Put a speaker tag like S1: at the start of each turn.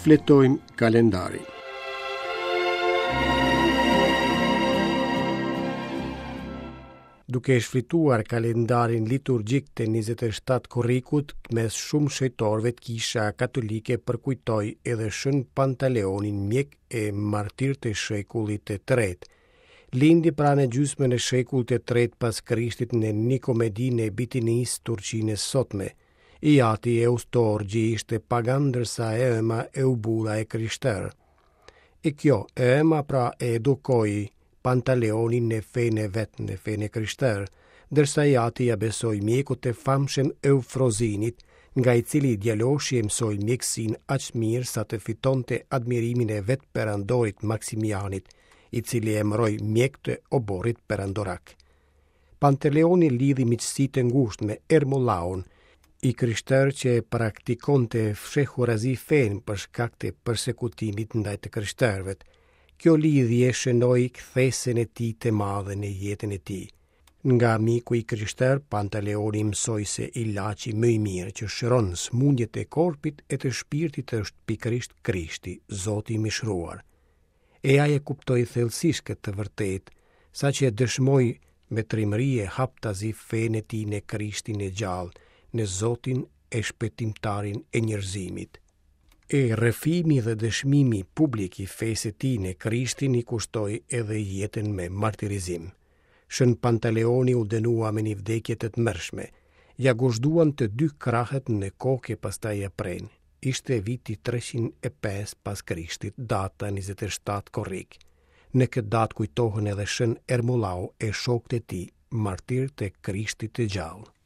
S1: Shfletojmë kalendarin. Duke shfletuar kalendarin liturgjik të 27 korrikut, mes shumë shenjtorëve Kisha Katolike përkujtoi edhe Shën Pantaleonin mjek e martir të shekullit të tretë. Lindi pra në gjysmën e shekullit të tretë pas Krishtit në Nikomedinë e Bitinisë, Turqinë e sotme. I ati Eustorgji ishte pagan ndërsa e ëma Eubula e krishterë. E kjo, e ëma pra e edukoi Pantaleonin në fenë e vet, në fenë e krishterë, ndërsa i ati ia besoi mjekut të famshëm Eufrozinit, nga i cili djaloshi e mësoi mjekësinë aq mirë sa të fitonte admirimin e vetë perandorit Maksimianit, i cili e emëroi mjek të oborrit perandorak. Pantaleoni lidhi miqësi të ngushtë me Ermolaun, i krishterë që e praktikonte fshehurazi fenë për shkak të persekutimit ndaj të krishterëve. Kjo lidhje shënoi kthesën e tij të madhe në jetën e tij. Nga miku i krishterë, Pantaleoni mësoi se ilaçi më i mirë që shëron sëmundjet e korpit e të shpirtit është pikërisht Krishti, Zoti i mishëruar. E ai e kuptoi thellësisht këtë të vërtetë, saqë e dëshmoi me trimëri e haptazi fenë e tij në Krishtin e gjallë, në Zotin e Shpëtimtarin e njerëzimit. E rrëfimi dhe dëshmimi publik i fesë së tij në Krishtin i kushtoi edhe jetën me martirizim. Shën Pantaleoni u dënua me një vdekje të tmerrshme. Ia gozhduan të dy krahët në kokë e pastaj ia prenë. Ishte viti 305 pas Krishtit, data 27 korrik. Në këtë datë kujtohen edhe Shën Ermollau e shokët e tij, martirë të Krishtit të gjallë.